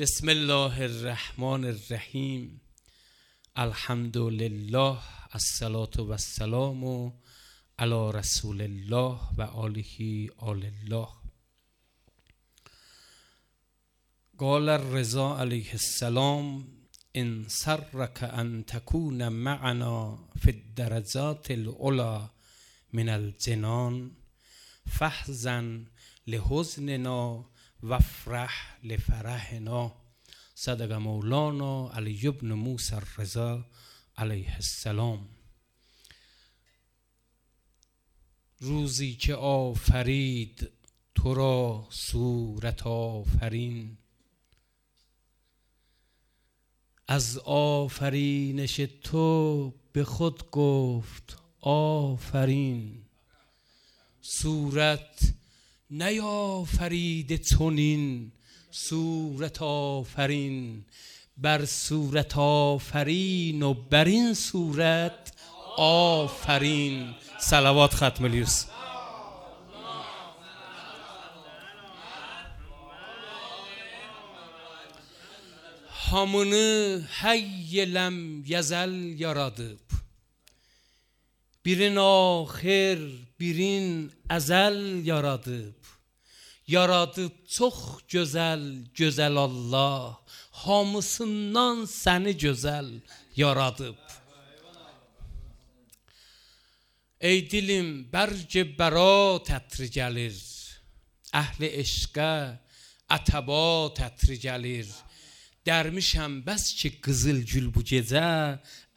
بسم الله الرحمن الرحیم. الحمد لله، الصلاة و السلام علی رسول الله و آله آل الله. قال الرضا علیه السلام: ان سرک ان تکون معنا فی الدرجات العلی من الجنان فاحزن لحزننا وافرح لفرحنا. صدق مولانا علی بن موسی الرضا علیه السلام. روزی که آفرید تو را صورت آفرین، از آفرینش تو به خود گفت آفرین. صورت نیافرید چنین صورت آفرین، بر صورت آفرین و بر این صورت آفرین. صلوات ختم الیوس. Hamını hayyelem yazal yaradıp, birin ahir birin ezel yaradıp, yaradıp çok güzel güzel Allah, hamısından seni güzel yaradıp. Ey dilim berc bera tətri gəlir, əhli eşqə ətəba tətri gəlir. Dermişəm bəs ki qızıl gül bu gecə,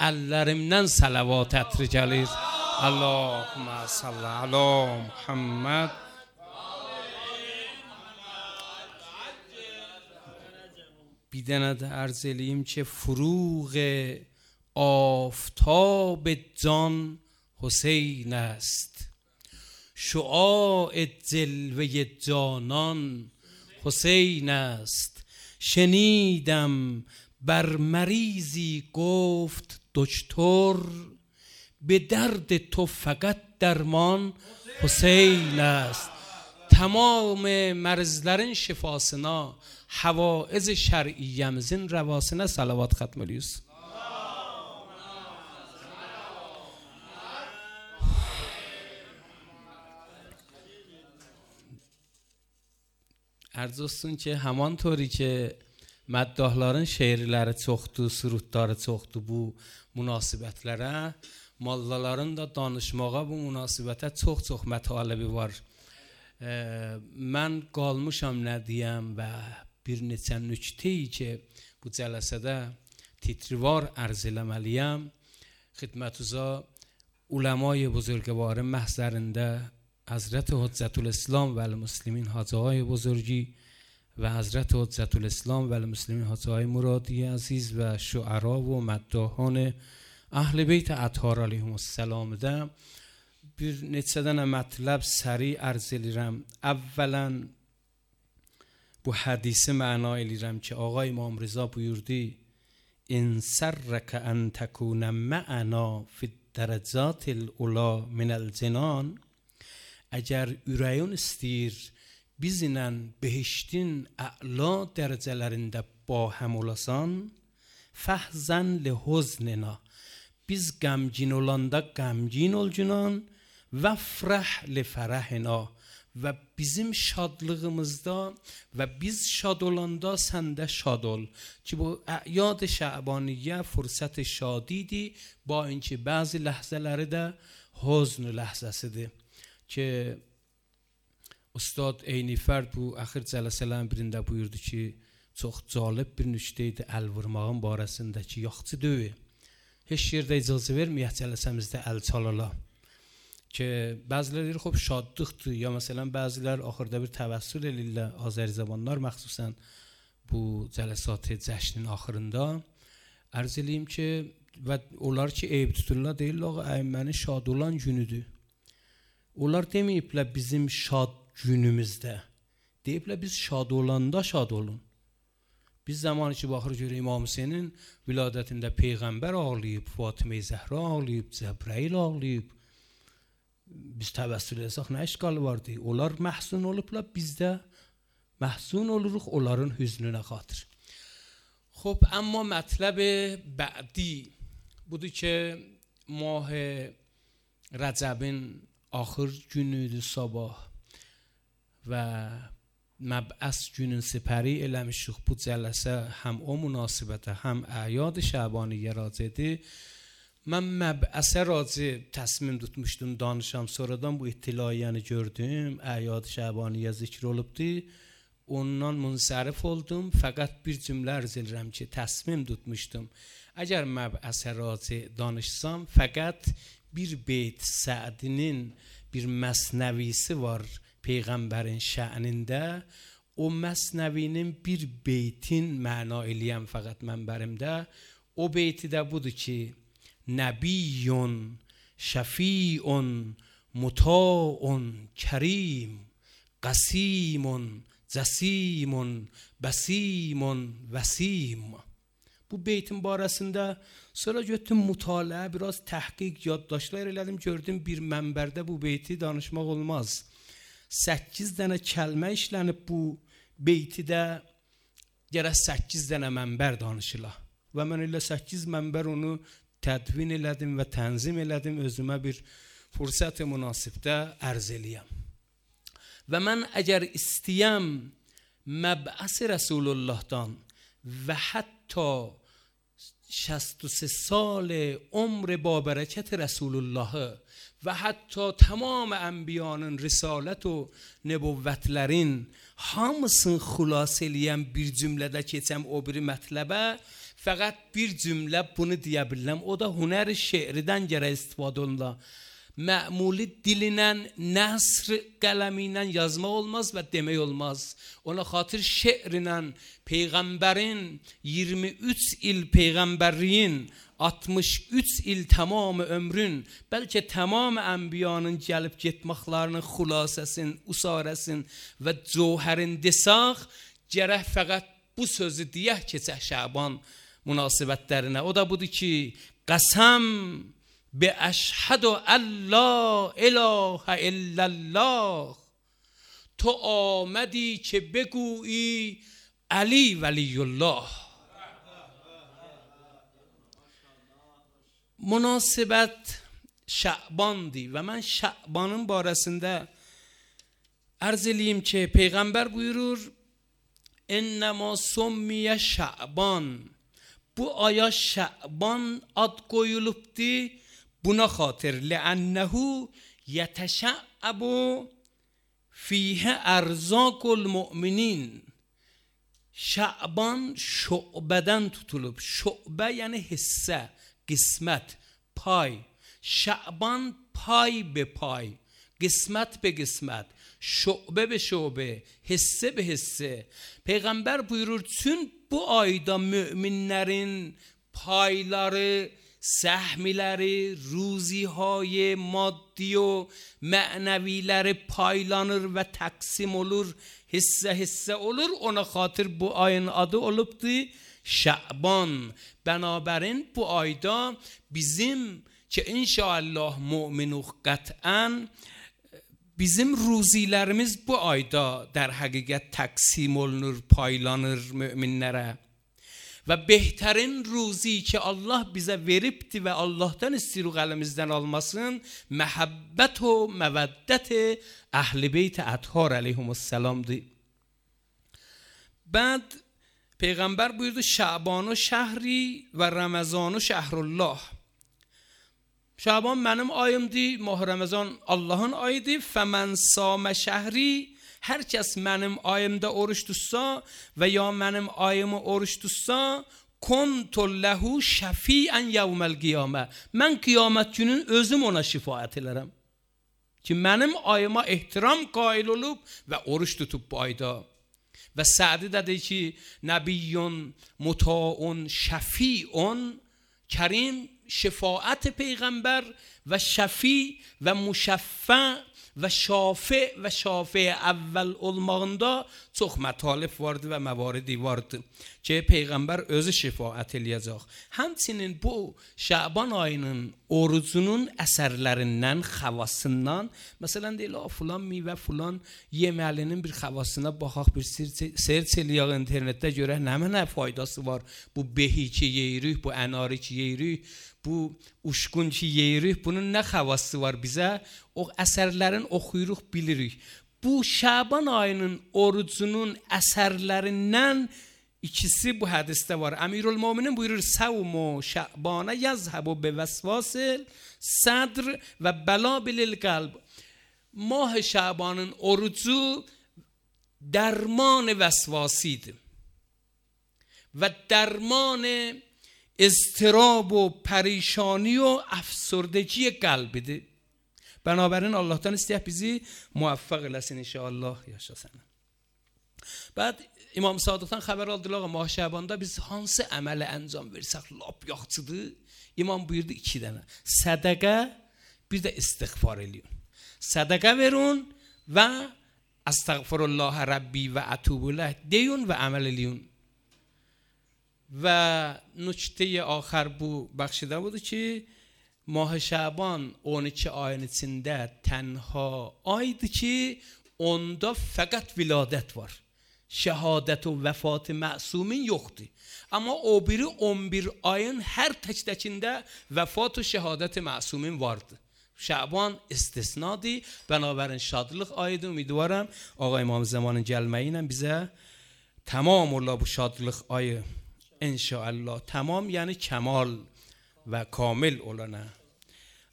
əllərimdən salavat ətri gəlir. Allahümmə salli ala Muhammed. Bir dənə də ərz eləyim ki, فروغ آفتاب جان حسین است، شعاع جلوه جانان حسین است. شنیدم بر مریضی گفت دکتر، به درد تو فقط درمان حسین است. Tamam mərzlərin şifasına, havaiz şər'iyyəmizin rəvasına salavat xətm ediyoruz. Arz olsun ki, همانطوری که مداحların şeirləri çoxdur, surutları çoxdur bu münasibətlərə, mollaların da danışmağa bu münasibətə çox-çox mətalibi var. Mən qalmışam nə deyəm və bir neçə nükteyi ki bu cələsədə titrivar ərz eləməliyəm. Xidmətuza uləmای buzurgvarın məhzərində حضرت حجت الاسلام و المسلمین حاجی های بزرگی و حضرت حجت الاسلام و المسلمین حاجی های مرادی عزیز و شعرا و مداحان اهل بیت اطهار علیهم السلام ده bir neçə dənə mətləb səri ərz eləyirəm. Əvvələn bu hədisi məna eləyirəm ki, Ağa İmam Rıza buyurdu: "İn sərrəkə ən təkunə mə'ana fi'd-dərəcətil ula minəl cinan." Əgər ürəyin istəyir bizlə behiştin əla dərəcələrində bahəm olasan, fəhzən lihuznina, biz qəmgin olanda qəmgin ol günan, və frəh lifərəhina, və bizim şadlığımızda və biz şad olanda sən də şad ol. Ki bu əyad şəbaniyyə fürsət şadidir, ba inki bəzi ləhzələri də huzn ləhzəsidir. Ki Ustad Eynifərd bu axir cələsələrin birində buyurdu ki, çox cəlib bir nüşdə idi əl vurmağın barəsindəki yaxçı döyü. Heç yerdə icazə verməyək cələsəmizdə əl çalala. Ki bəziləri deyir, xub şadlıqdır, ya məsələn bəzilər axırda bir təvəssül elirlər, Azəri zamanlar məxsusən bu cələsat-ı cəşnin axırında. Ərz eləyim ki, və onlar ki eyb tuturlar, deyirlər, ağa əymənin şad olan günüdür. Onlar deməyiblər bizim şad günümüzdə. Deyiblər biz şad olanda şad olun. Biz zamanı ki baxır görək İmam Hüseynin viladətində Peyğəmbər ağlayıb, Fatimə Zəhra ağlayıb, Cəbrəil ağlayıb. Biz təvəssül etsək nə işqalı vardı? Onlar məhzun olublar, biz də məhzun oluruq onların hüznünə xatır. خب اما مطلب بعدی بودی که ماه رجبin آخر günüydü sabah و مبعث günün سپری eləmişik bu cələsə həm o münasibətə həm əyyad şəbaniyə racidir. Mən məb'əsə raci təsmim tutmuşdum danışam, sonradan bu ittilaiyəni gördüm, əyyad şəbaniyə zikr olubdu. Ondan münsərif oldum, fəqət bir cümlə arz edirəm ki, təsmim tutmuşdum. Əgər məb'əsə raci danışsam, fəqət bir beyt Səədinin bir məsnəvisi var Peyğəmbərin şə'nində. O məsnəvinin bir beytin məna eləyəm fəqət mənbərimdə. O beyti də budur ki, Nəbiyyun, şəfi'un, muta'un, kərim, qasimun, cəsimun, bəsimun, vəsim. Bu beytin barəsində sonra götürdüm mütaliə, biraz təhqiq, yaddaşlar elədim, gördüm bir mənbərdə bu beyti danışmaq olmaz. 8 dənə kəlmə işlənib bu beytidə, gərək 8 dənə mənbər danışıla. Və mən elə 8 mənbər onu tədvin elədim və tənzim elədim, özümə bir fürsət-i münasibdə ərz eləyəm. Və mən əgər istəyəm məb'əs Rəsulullahdan və hətta 63 سال عمر با برکت رسول الله و حتی تمام انبیانın risalət و nübüvvətlərin hamısını xülas eləyəm bir cümlədə keçəm o biri mətləbə, fəqət bir cümlə bunu deyə biləm, o da hünər şeiridən gərək istifadə olunur. Məmuli dilinlə, nəsr qələmi ilə yazmaq olmaz və demək olmaz. Ona xatir şeirinlə Peyğəmbərin 23 il Peyğəmbərliyin, 63 il tamam ömrün, bəlkə tamam ənbiyanın gəlib getməklərinin xülasəsini, usarəsini və cövhərin desaq, gərək fəqət bu sözü deyək keçək Şaban münasibətlərinə. O da budur ki, qəsəm به اشهد الله اله الا الله تو آمدی که بگویی علی ولی الله. Münasibət Şabandır və mən Şabanın barəsində ərz eləyim ki, Peyğəmbər buyurur, İnnəmə summiyə Şaban, bu aya Şaban ad qoyulubdur. Buna xatir لأنه يتشعب فيه أرزاق المؤمنين. Şaban şubədən tutulub. Şubə yəni hissə, qismət, pay. Şaban pay be pay, qismət be qismət, şubə be şubə, hissə be hissə. Peyğəmbər buyurur, çün bu ayda müminlərin payları, səhmiləri, ruzihay maddi و mənəviləri paylanır və təqsim olur, hissə olur. Ona xatir bu ayın adı olubdur Şaban. Bənabərin bu ayda bizim ki inşallah müminuq qətən, bizim ruzilərimiz bu ayda در həqiqət təqsim olunur, paylanır müminlərə. Və behtarin ruzi ki Allah bizə veribdi və Allahdan istiruq əlimizdən almasın, məhəbbət o məvəddət əhl-i beyt əthar əleyhimussalamdır. Bəd Peyğəmbər buyurdu, Şabanu şəhri və Ramazanu şəhrullah. Şaban mənim ayımdır, Mah Ramazan Allahın ayıdır. Fəmən samə şəhri, hər kəs mənim ayımda oruç tutsa və ya mənim ayımı oruç tutsa, kuntu lehu şəfiən yevməl qiyamə. Mən qiyamət günün özüm ona şifaət elərəm. Ki mənim ayıma ehtiram qail olub və oruç tutub bu ayda. Və Sədi də deyir ki, Nəbiyyun, muta'un, şəfi'un, kərim, شفاعت پیغمبر و شفیع و مشفع و شافع اول olmağında çox mətəlif vardı və məvaridi vardı ki, Peyğəmbər özü şəfaət eləyəcək. Həmçinin bu Şaban ayının orucunun əsərlərindən, xavasından, məsələn deyil, filan meyvə, filan yeməlinin bir xavasına baxaq, bir search eləyək internetdə görək nə faydası var. Bu behi ki yeyirik, bu ənari ki yeyirik, bu uşqun ki yeyirik, bunun nə xavası var bizə? O əsərlərin oxuyuruq, bilirik. Bu Şaban ayının orucunun əsərlərindən ikisi bu hədisdə var. Əmirülmöminin buyurur: "Savmu Şabanə yazhabu bi vesvasil sadr və balabil qalb." Mah Şabanın orucu درمان وسواسید و درمان اضطراب و پریشانی و افسردگی قلبیdir. بنابراین Allah'tan istəyək bizi muvaffaq eləsin inşallah yaşasın. Bəd İmam Sadıqdan xəbər aldılar, Mah Şabanda biz hansı əmələ əncam versək lap yaxçıdır? İmam buyurdu 2 dənə. Sədaqə, bir də istiğfar eləyin. Sədaqə verin və Estağfurullah Rabbi və ətubullah deyin və əməl eləyin. Və nükte axır bu bəxşidə budur ki, Mah Şaban 12 ayın içində tənha aydır ki, onda fəqət viladət var. Şəhadət və vəfat məsumin yoxdur. Amma o biri 11 ayın hər təkdəkində vəfat və şəhadət məsumin vardır. Şaban istisnadır. Bənabərin şadlıq ayıdır. Ümidvarım Ağa İmam Zamanın gəlməyi ilə bizə tamam ola bu şadlıq ayı inşallah. Tamam yəni kəmal və kamil olana.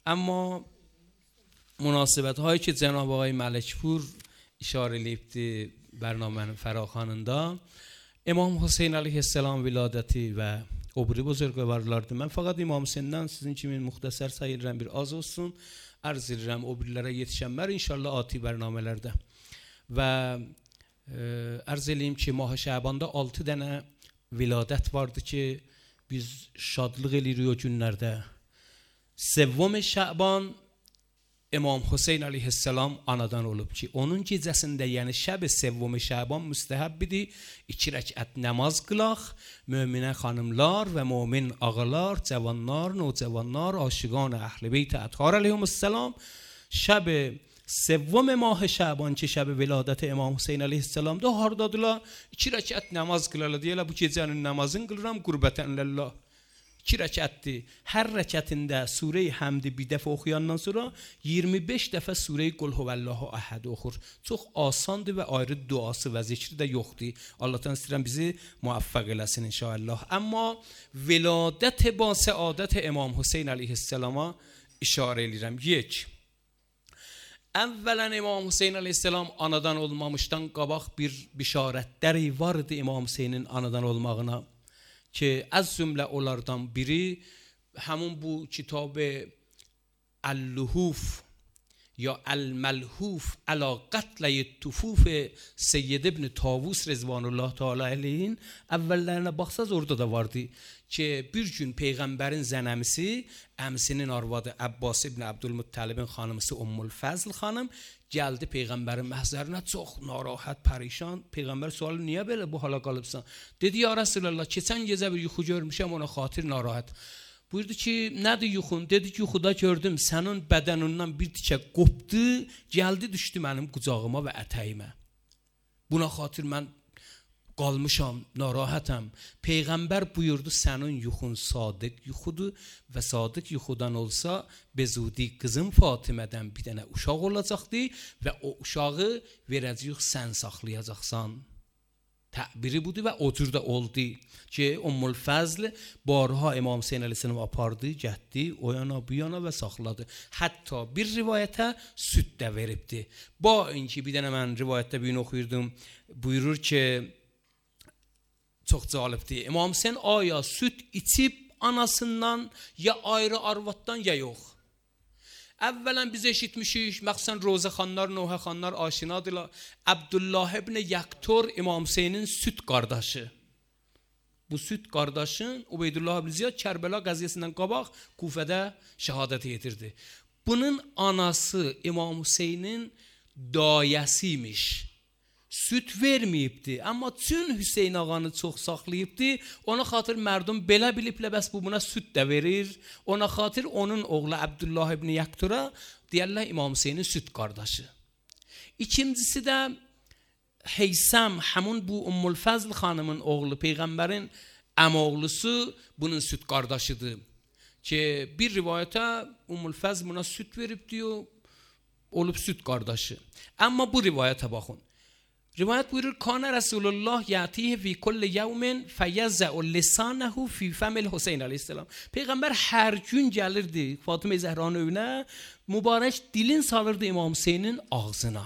Amma münasibət hایی که جناب آقای ملکپور اشاره eləyibdi برنامه فراخوانında İmam Hüseyin əleyhissalam viladəti və o biri buzurgvarlardır. Mən fəqət İmam Hüseyndən sizin kimi müxtəsər sayıram, bir az olsun arz edirəm o birilərə yetişənlər inşallah ati bərnamələrdə. Və arz eləyim ki, Mah Şabanda 6 dənə viladət vardı ki, biz şadlıq eləyirik o günlərdə. Sevvam Şaban İmam Hüseyin əleyhissalam anadan olub ki, onun gecəsində, yəni şəb sevvam Şaban müstəhəbbidir, 2 rəkət namaz qılaq, möminə xanımlar və mömin ağalar, cavanlar, nocavanlar, aşiqan əhl-i beyt əthar əleyhissalam şəb sevvam Mah Şaban ki, şəb viladət İmam Hüseyin əleyhissalamda hardadılar, 2 rəkət namaz qılarlar, deyirlər bu gecənin namazını qılıram qurbətən lillah. 2 rəkətdir. Hər rəkətində surə-i Həmdi bir dəfə oxuyandan sonra 25 dəfə surə-i Qul Huvallahu Əhəd oxur. Çox asandır və ayrı duası və zikri də yoxdur. Allahdan istəyirəm bizi muvaffaq eləsin inşallah. Amma viladət ba səadət İmam Hüseyin əleyhissalama işarə edirəm. 1. Əvvələn İmam Hüseyin əleyhissalam anadan olmamışdan qabaq bir bişarətləri vardı İmam Hüseynin anadan olmağına. که از جمله onlardan biri همون bu kitab اللهوف یا الملهوف علی قتل طفوف سید ابن طاووس رضوان الله تعالی علیه əvvəllərinə baxsaz orada da vardı ki, bir gün Peyğəmbərin zənəmisi, əmsinin arvadı Abbas ibn Abdülmuttalibin xanımısı Ummul Fəzl xanım gəldi Peyğəmbərin məhzərinə çox narahat, pərişan. Peyğəmbər sualı niyə belə bu hala qalıbsan? Dedi ya Resulallah, keçən gecə bir yuxu görmüşəm, ona xatir narahat. Buyurdu ki, nədir yuxun? Dedi ki, yuxuda gördüm, sənin bədənindən bir tikə qopdu, gəldi düşdü mənim qucağıma və ətəyimə. Buna xatir mən qalmışam, narahatam. Peyğəmbər buyurdu, sənin yuxun sadiq yuxudur və sadiq yuxudan olsa, bezudi qızım Fatimədən bir dənə uşaq olacaqdır və o uşağı verəcəyik, sən saxlayacaqsan. Təbiri budur və o cür də oldu ki, Ummul Fəzl barha İmam Hüseyin əleyhissalam apardı, getdi, o yana bu yana və saxladı. Hətta bir rivayətə süd də veribdi. Ba inki bir dənə mən rivayətdə birini oxuyurdum, buyurur ki, çox cəlibdir. İmam Hüseyin aya süd içib anasından ya ayrı arvaddan ya yox. Əvvələn biz eşitmişik, məxsən Rozə xanlar, Nohə xanlar aşinadılar. Abdullah ibn Yaktor İmam Hüseynin süd qardaşı. bu süt kardeşin Ubeydullah ibn Ziyad Kerbela gaziyesinden qabaq Kufədə şəhadət yetirdi. Bunun anası İmam Hüseynin dayəsiymiş. Süt verməyibdi, amma tüm Hüseyin ağanı çox saxlayıbdı. Ona xatir mərdum belə biliblə bəs bu buna süt də verir. Ona xatir onun oğlu Abdullah ibn Yaktura deyərlər İmam Hüseynin süt qardaşı. İkincisi də Heysam, həmun bu Ummul Fazl xanımın oğlu, Peyğəmbərin əmoğlusu bunun süt qardaşıdır. Ki bir rivayətə Ummul Fazl buna süt verib diyor, olub süt qardaşı. Amma bu rivayətə baxın. Rivayət buyurur, Kana Rasulullah yatihi fi kulli yevmin feyeza'u lisanehu fi femil Hüseyin aleyhisselam. Peyğəmbər hər gün gəlirdi Fatıma Zəhranın evinə, mübarək dilin salırdı İmam Hüseynin ağzına.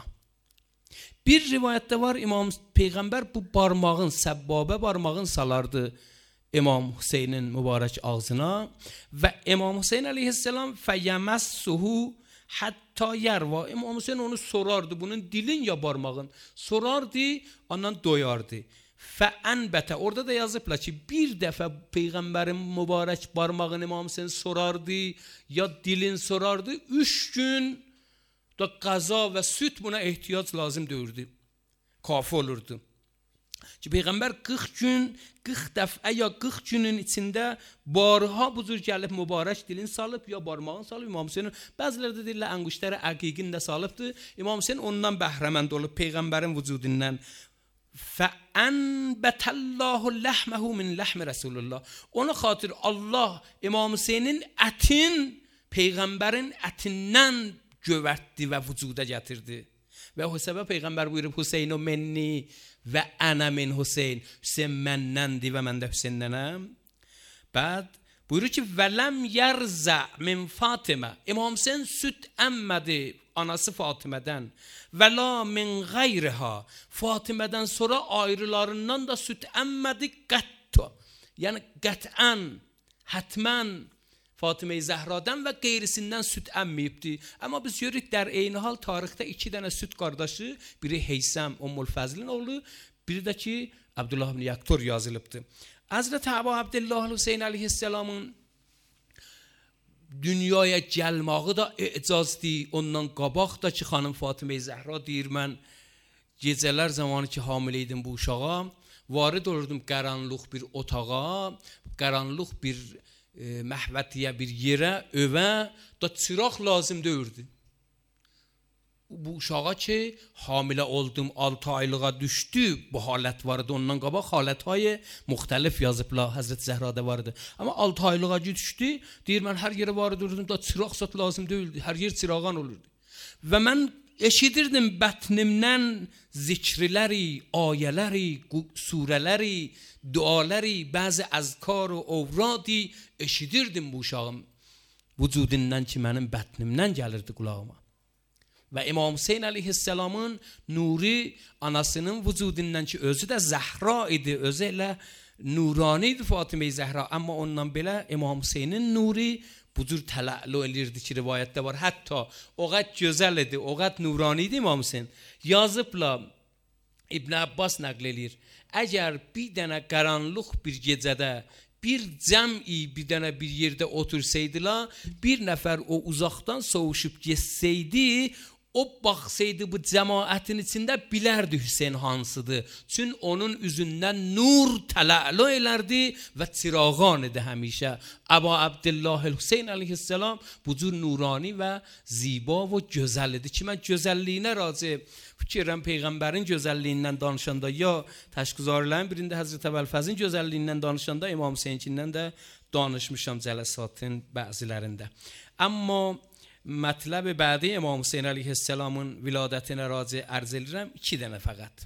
Bir rivayətdə var, Peyğəmbər bu barmağın, səbbabə barmağın salardı İmam Hüseynin mübarək ağzına və İmam Hüseyin aleyhisselam feyemessuhu hatta yerva. İmam Hüseyin onu sorardı, bunun dilin ya barmağın. Sorardı, ondan doyardı. Fəənbətə, orada da yazıblar ki, bir dəfə Peyğəmbərin mübarək barmağını İmam Hüseyin sorardı, ya dilin sorardı, 3 gün da qaza və süt buna ehtiyac lazım deyirdi. Kafi olurdu. Ki Peyğəmbər 40 gün, 40 dəfə ya 40 günün içində barha buzur gəlib mübarək dilin salıb ya barmağın salıb İmam Hüseyin. Bəziləri də deyirlər ənguştəri əqiqin də salıbdı. İmam Hüseyin ondan bəhrəmənd olub Peyğəmbərin vücudundan. Fəənbətəllahu ləhməhu min ləhmi Rasulullah. Ona xatir Allah İmam Hüseynin ətin Peyğəmbərin ətindən gövərtdi və vücuda gətirdi. Və o səbəb Peyğəmbər buyurub Hüseynu menni və ənə min Hüseyin. Hüseyin mənnəndir və mən də Hüseynnənəm. Bəd buyurur ki vələm yərzə min Fatimə. İmam Hüseyin süt əmmədi anası Fatimədən. Və la min qayrıha. Fatimədən sonra ayrılarından da süt əmmədi qəttə. Yəni qətən, hətmən Fatıma-i Zəhradan və qeyrisindən süt əmməyibdi. Amma biz görürük der eyni hal tarixdə 2 dənə süt qardaşı, biri Heysam Ummul Fazlin oğlu, biri də ki Abdullah ibn Yaktur yazılıbdı. Hazreti Əbu Abdullah Hüseyin aleyhisselamın dünyaya gəlməyi da icazdır. Ondan qabaq da ki xanım Fatıma-i Zəhra deyir, mən gecələr zamanı ki hamilə idim bu uşağa, varid olurdum qaranlıq bir otağa, qaranlıq bir məhvətiyə bir yerə, övə da çıraq lazım deyirdi. Bu uşağa ki hamilə oldum, 6 aylığa düşdü, bu halət vardı. Ondan qabaq halətهای müxtəlif yazıblar, Həzrət Zəhrada vardı. Amma 6 aylığa düşdü, deyir mən hər yerə varid olurdum, da çıraq sat lazım deyildi, hər yer çırağan olurdu. Və mən eşidirdim bətnimdən zikriləri, ayələri, surələri, duaları, bəzi əzkar və ovradi eşidirdim bu uşağım vücudundan ki mənim bətnimdən gəlirdi qulağıma. Və İmam Hüseyin aleyhisselamın nuri anasının vücudundan ki özü də Zəhra idi, özü elə nurani idi Fatıma-i Zəhra, amma ondan belə İmam Hüseynin nuri bu cür tələ'lu elirdi ki rivayətdə var. Hətta o qəd gözəl idi, o qəd nurani idi İmam Hüseyin. Yazıbla İbn Abbas nəql edir. Əgər bir dənə qaranlıq bir gecədə bir cəmi bir dənə bir yerdə otursaydılar, bir nəfər o uzaqdan soğuşub geçsəydi, o baxsaydı bu cəmaətin içində bilərdi Hüseyin hansıdır. Çünki onun üzündən nur tələ'lu elərdi və çırağan idi həmişə. Əbu Abdullah Hüseyin aleyhisselam bu cür nurani və ziba və gözəl idi ki, mən gözəlliyinə razı fikirəm Peyğəmbərin gözəlliyindən danışanda ya təşkizarların birində Həzrət Əbəlfəzin gözəlliyindən danışanda İmam Hüseyinkindən də danışmışam cələsatın bəzilərində. Amma mətləb bədi İmam Hüseyin aleyhisselamın viladətinə razı ərz edirəm 2 dənə fəqət.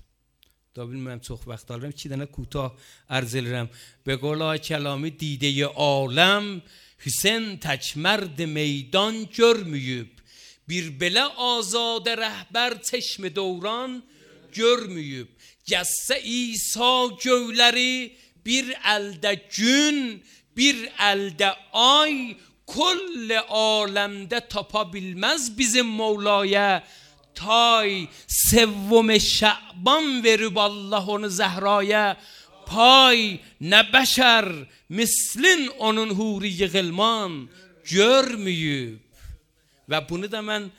Da bilmirəm çox vaxt alırım, 2 dənə kutah ərz edirəm. Be qolay kəlami dideyi aləm Hüseyin tək mərd meydan görməyib. Bir belə azadə rəhbər çeşmi dövran görməyib. Gəssə İsa göyləri bir əldə gün, bir əldə ay, kull aləmdə tapa bilməz bizim Mevlaya tay. Sevvum Şəban verib Allah onu Zəhraya, pay ne beşer mislin onun huri gılman görmüyüb. Ve bunu da mən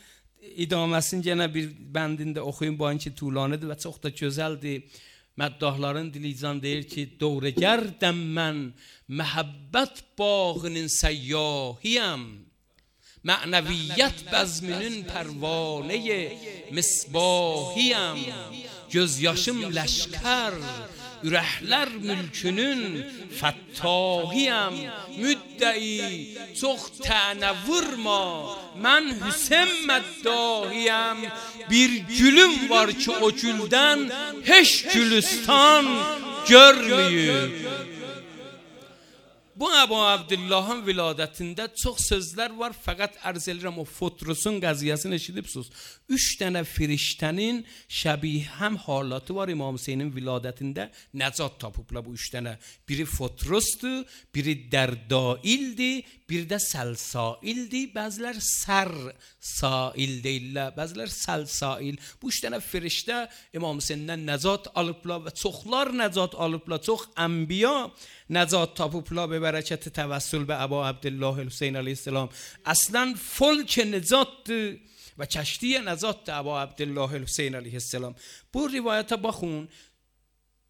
idaməsini yenə bir bəndində oxuyum, bu anki tuğlanıdır və çox da gözəldir. Məddahların dilizan deyir ki, doğru gərdəm mən məhəbbət bağının səyyahiyəm. Mənəviyyət bəzminin pərvanəyi misbahiyəm. Gözyaşım ləşkər, ürəklər mülkünün fəttahiyəm. Müddəi çox tənə vurma, mən Hüseyin məddahiyəm. Bir gülüm var ki o güldən heç gülüstan görməyib. Bu Əbu Abdullahın viladətində çox sözlər var, fəqət ərz edirəm o Fotrusun qəziyyəsini eşidibsiniz. 3 dənə firiştənin şəbih həm halatı var İmam Hüseynin viladətində, nəcat tapıblar bu 3 dənə. Biri Fotrusdur, biri Dərdaildir, bir də Səlsaildir, bəzilər Sərsail deyirlər, bəzilər Səlsail. Bu 3 dənə firiştə İmam Hüseyndən nəcat alıblar və çoxlar nəcat alıblar, çox ənbiya nəcat tapıblar به برکت توسل به ابا عبدالله حسین علیه السلام. اصلا فلک نجات و کشتی نجات ابا عبدالله حسین علیه السلام. Bu rivayete bakın.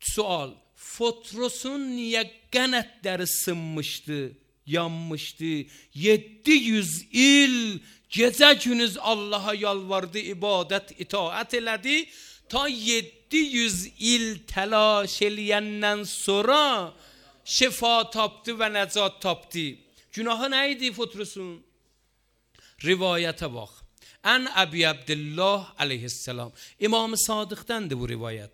Sual. Fotrosun niye qənətləri sınmıştı, yanmıştı? 700 il gecə gündüz Allah'a yalvardı, ibadet, itaat elədi. Ta 700 il telaş eləyəndən sonra şifa tapdı ve necat tapdı. Günahı neydi Fotrusun? Rivayete bak. En Ebi Abdullah aleyhisselam. İmam-ı Sadık'tandı bu rivayet.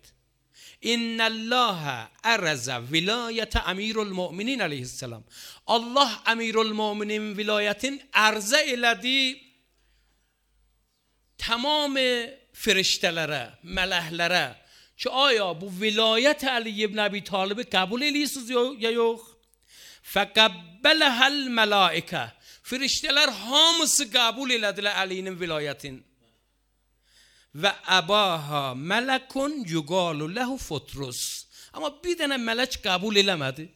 İnnallâhe ereze vilayete emirul-mu'minin aleyhisselam. Allah emirul-mu'minin vilayetin erze eledi tamam firiştelere, melehlere. Ki آیا bu vilayet علی ابن ابی طالب قبول ediyorsunuz ya yok? فَقَبَّلَهَا الْمَلَائِكَةِ Firişteler hamısı kabul elədilər Ali'nin vilayetin. Ve abaha melekun yugalu lehu Fotrus. Ama bir dənə melek kabul eləmədi.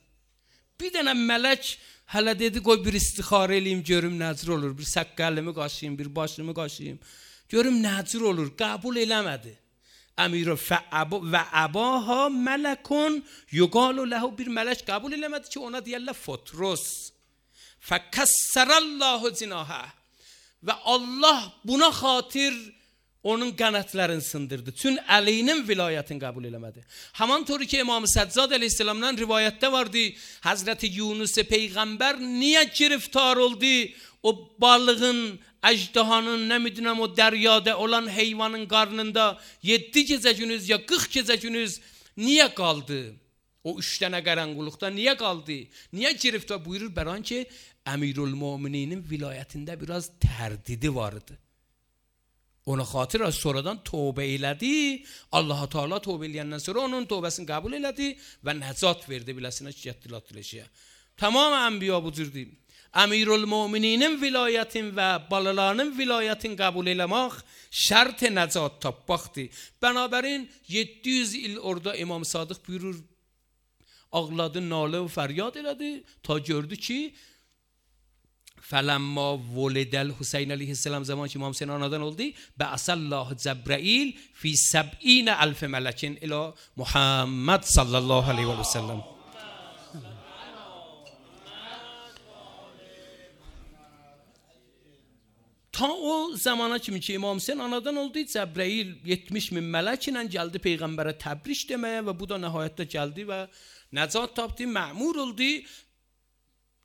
Bir dənə melek hələ dedi qoy bir istixarə eləyim görüm nəcür olur. Bir səqqəlimi qaşıyım, bir başımı qaşıyım. Görüm nəcür olur. Kabul eləmədi. امیر و اباها ملکون یقال له bir melek kabul eləmədi ki ona deyirlər Fotrus. فَكَسَّرَ اللّٰهُ زِنَاهَا Və Allah buna xatir onun qənətlərini sındırdı. Çün Əlinin vilayətini qəbul eləmədi. Haman toru ki İmam Səccad əleyhisselamdan rivayətdə vardı. Hazreti Yunus peyğəmbər niyə giriftar oldu? O balığın, əcdahanın, nə midinəm o dəryada olan heyvanın qarnında 7 gecə gündüz ya 40 gecə gündüz niyə qaldı? O 3 dənə qaranquluqda niyə qaldı? Niyə giriftar buyurur? Bəran ki Emirül-Mu'mininin vilayətində biraz tərdidi vardı. Ona xatir az sonradan tövbə elədi. Allah Teala tövbə eləyəndən sonra onun tövbəsini qəbul elədi və nəcat verdi biləsinə ki getdilat diləşiyə. Tamam ənbiya bu cürdür. Emirül-Mu'mininin vilayetin ve balalarının vilayetin kabul eləmək şart nəcat tapmaqdır. Bənabərin 700 il orada İmam Sadık buyurur, ağladı, nalə və fəryad elədi ta gördü ki فَلَمَّا وَلِدَ الْحُسَيْنَ علیه السلام zaman ki İmam Hüseyin anadan oldu بَعَثَ اللّٰهُ جَبْرَئیل فِي 70,000 مَلَكٍ إِلَى محمد صلی الله علیه و سلم. Ta o zamana kimi ki İmam Hüseyin anadan oldu, Cəbrəil 70,000 mələk ilə gəldi Peyğəmbərə təbriş deməyə və bu da nəhayətdə gəldi və nəcat tapdı, məmur oldu.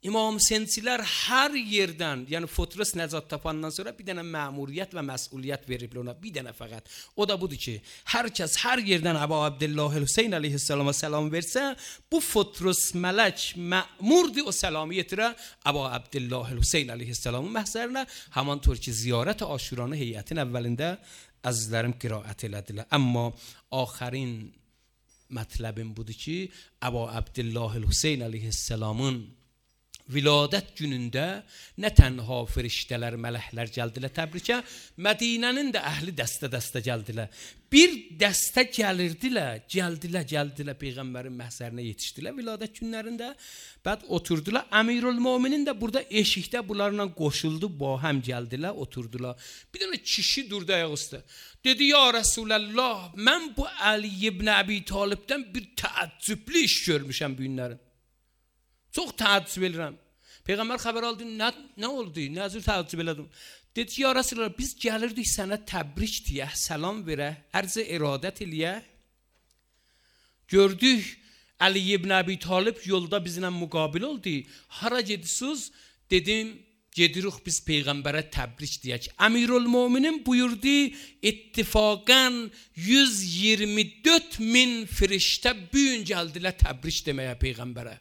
İmam Hüseyinçilər hər yerdən, yəni Fotrus nəcat tapandan sonra bir dənə məmuriyyət və məsuliyyət veriblər ona, bir dənə fəqət. O da budur ki, hər kəs hər yerdən Əbu Abdullah Hüseyin əleyhissalama salam versə, bu Fotrus mələk məmurdur o salamı yetirə Əbu Abdullah Hüseyin əleyhissalamın məhzərinə. Haman tör ki, ziyarət Aşuranı heyətin əvvəlində əzizlərim qiraət elədilər. Amma axərin mətləbim budur ki, Əbu Abdullah Hüseyin əleyhissalamın viladət günündə nə tənha firiştələr, mələklər gəldilər təbrikə, Mədinənin də əhli dəstə-dəstə gəldilər. Bir dəstə gəldilər Peyğəmbərin məhzərinə yetişdilər viladət günlərində. Bəd oturdular. Əmirülmöminin də burada eşikdə bunlarla qoşuldu, ba həm gəldilər, oturdular. Bir dənə kişi durdu ayaq üstə. Dedi, ya Rasulallah, mən bu Ali ibn Əbi Talibdən bir təəccüblü iş görmüşəm bu günlərin. Çox təəccüb edirəm. Peyğəmbər xəbər aldı, nə oldu? Nə cür təəccüb elədim? Dedi, ya Rasulallah, biz gəlirdik sənə təbrik deyək, salam verək, ərz-i iradət eləyək. Gördük, Ali ibn Əbi Talib yolda bizlə müqabil oldu. Hara gedirsiniz? Dedim, gedirik biz Peyğəmbərə təbrik deyək. Əmirülmöminin buyurdu, ittifaqən 124.000 firiştə bugün gəldilər təbrik deməyə Peyğəmbərə.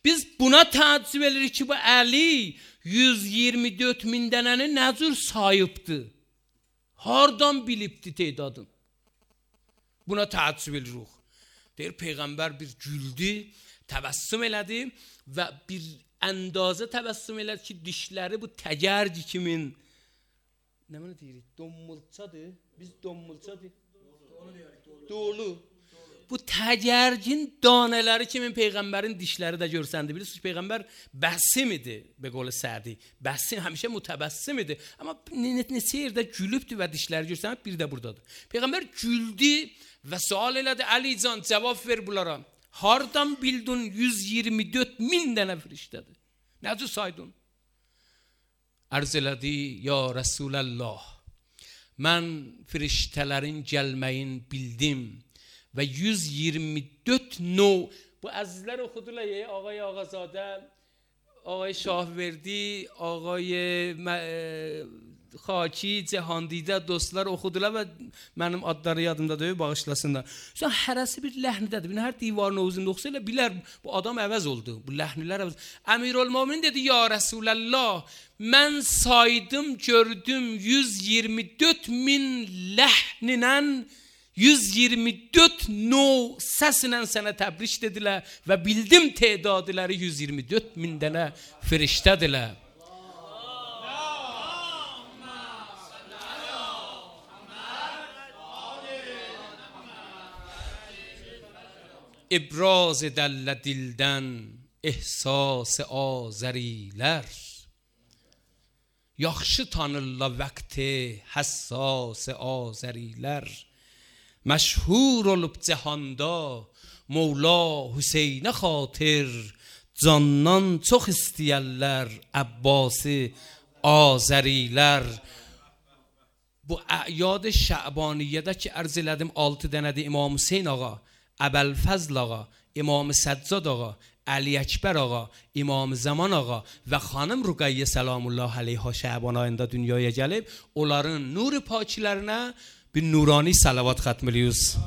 Biz buna təəccüb edirik ki, bu Əli 124.000 dənəni nə cür sayıbdı? Hardan bilibdi tedadın? Buna təəccüb edirik. Deyir, Peyğəmbər bir güldü, təbəssüm elədi və bir əndazə təbəssüm elədi ki, dişləri bu təcərci kimin, nə mənə deyirik, donmulçadır, biz donmulçadır, dolu. Bu təcərcin danələri kimin Peyğəmbərin dişləri də görsəndi. Bilirsiniz, Peyğəmbər bəsim idi, be qolu Sədi. Bəsim, həmişə mütəbəssim idi. Amma neçə yerdə gülübdü və dişləri görsəndi, bir də buradadır. Peyğəmbər güldü və sual elədi, Əli can, cavab ver bunlara. Hardan bildin 124.000 dənə firiştədir? Necə saydın? Ərz elədi, ya Rasulallah, mən firiştələrin gəlməyin bildim və 124 növ, bu əzizlər oxudular ya, ağay Ağazadə, ağay Şahverdi, ağay Xaki, Cəhandidə dostlar oxudular və mənim adları yadımda deyil, bağışlasınlar. Sonra hərəsi bir ləhnidədir. Hər divarın özündə oxusa elə bilər, bu adam əvəz oldu, bu ləhnilər əvəz. Əmirülmöminin dedi, ya Rasulallah, mən saydım, gördüm 124.000 ləhninen 124 növ səsinə sənə təbrik dedilər və bildim tedadiləri 124.000 dənə firiştədirlər. İbraz edələ dildən ehsas azərilər, yaxşı tanırlar vəqti həssas azərilər. مشهور olub cəhanda Mevla Hüseynə xatir, candan çox istəyərlər Əbbası Azərilər. Bu əyad Şəbaniyyədə ki ərz elədim 6 dənədir, İmam Hüseyn ağa, Əbəlfəzl ağa, İmam Səccad ağa, Əli Əkbər ağa, İmam Zaman ağa və xanım Rüqəyyə Səlamullah əleyhə Şəban ayında dünyaya gəlib, onların nur pakilərinə bir nurani salavat xətm ediyoruz.